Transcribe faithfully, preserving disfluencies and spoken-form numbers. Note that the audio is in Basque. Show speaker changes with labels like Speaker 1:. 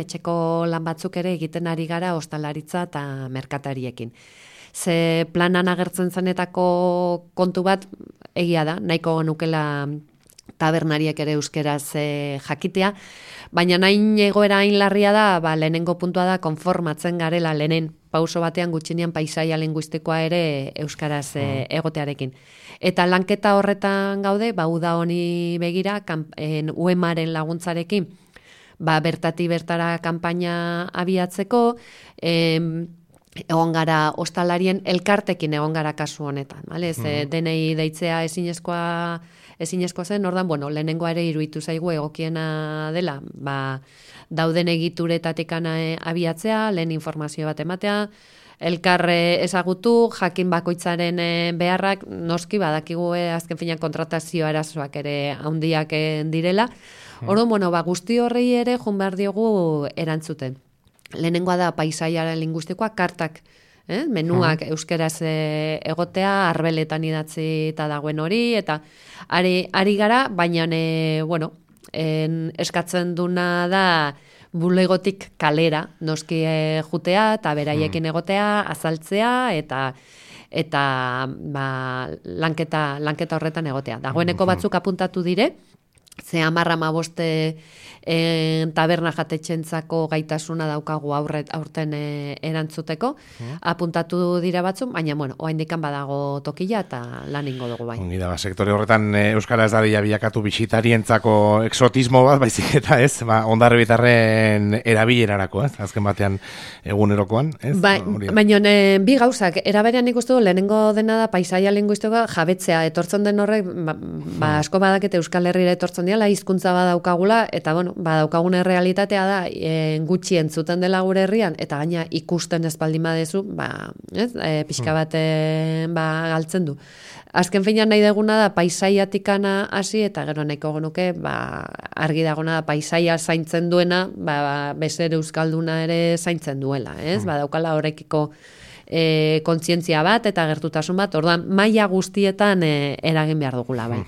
Speaker 1: etxeko lan batzuk ere egiten ari gara ostalaritza eta merkatariekin. Ze planan agertzen zenetako kontu bat egia da, nahiko nukela tabernariek ere euskeraz e, jakitea, baina nahin egoera hain larria da, ba, lehenengo puntua da konformatzen garela lehenen pauso batean gutxinean paisaia linguistikoa ere euskaraz e, egotearekin. Eta lanketa horretan gaude, ba, uda honi begira, kampen, U E M-aren laguntzarekin, ba, bertati bertara kanpaina abiatzeko, em, egon gara ostalarien elkartekin egon gara kasu honetan, bale? Ze denei deitzea ezinezkoa ezinezkoa zen, ordan, bueno, lehenengoa ere iruditu zaigu egokiena dela, ba, dauden egituretatik abiatzea, lehen informazio bat ematea, elkarre ezagutu, jakin bakoitzaren beharrak, noski badakigu azken finean kontratazio arazoak ere handiak direla. Orduan, bueno, ba, guzti horrei ere joan behar diogu erantzuten. Lehenengoa da paisaiaren linguistikoa, kartak, eh? menuak euskeraz egotea, arbeletan idatzi eta dagoen hori, eta ari, ari gara, baina e, bueno, en, eskatzen duna da bulegotik kalera, noski e, jutea, eta beraiekin egotea, azaltzea, eta eta ba, lanketa, lanketa horretan egotea. Dagoeneko batzuk apuntatu dire, ze hamarra maboste e, taberna jatetxentzako gaitasuna daukagu aurret, aurten e, erantzuteko, mm. apuntatu dira batzuk, baina, bueno, oaindikan badago tokila eta lan ingo dugu bai.
Speaker 2: Ongi da, sektore horretan e, Euskara ez dadila bilakatu bisitarientzako exotismo bat, baizik eta ez, ba, ondarri bitarren erabilerarako, ez, azken batean egunerokoan, ez?
Speaker 1: Ba, baina e, bi gauzak, eraberean ikustu du, lehenengo dena da paisaia linguistikoa jabetzea, etortzen den horrek, ba, ba asko badakete Euskal Herrira etortzen diala, hizkuntza badaukagula, eta bueno, badaukagun realitatea da, e, gutxi entzuten dela gure herrian, eta gaina ikusten ez baldin badezu, ba, ez, e, pixka bat e, ba, galtzen du. Azken finean nahi deguna da paisaiatikana hasi, eta gero nahiko genuke, ba, argi dagona da paisaia zaintzen duena, ba, bezer euskalduna ere zaintzen duela, ez? Ba, daukala horrekiko e, kontzientzia bat, eta gertutasun bat, orduan maila guztietan e, eragin behar dugula, bai.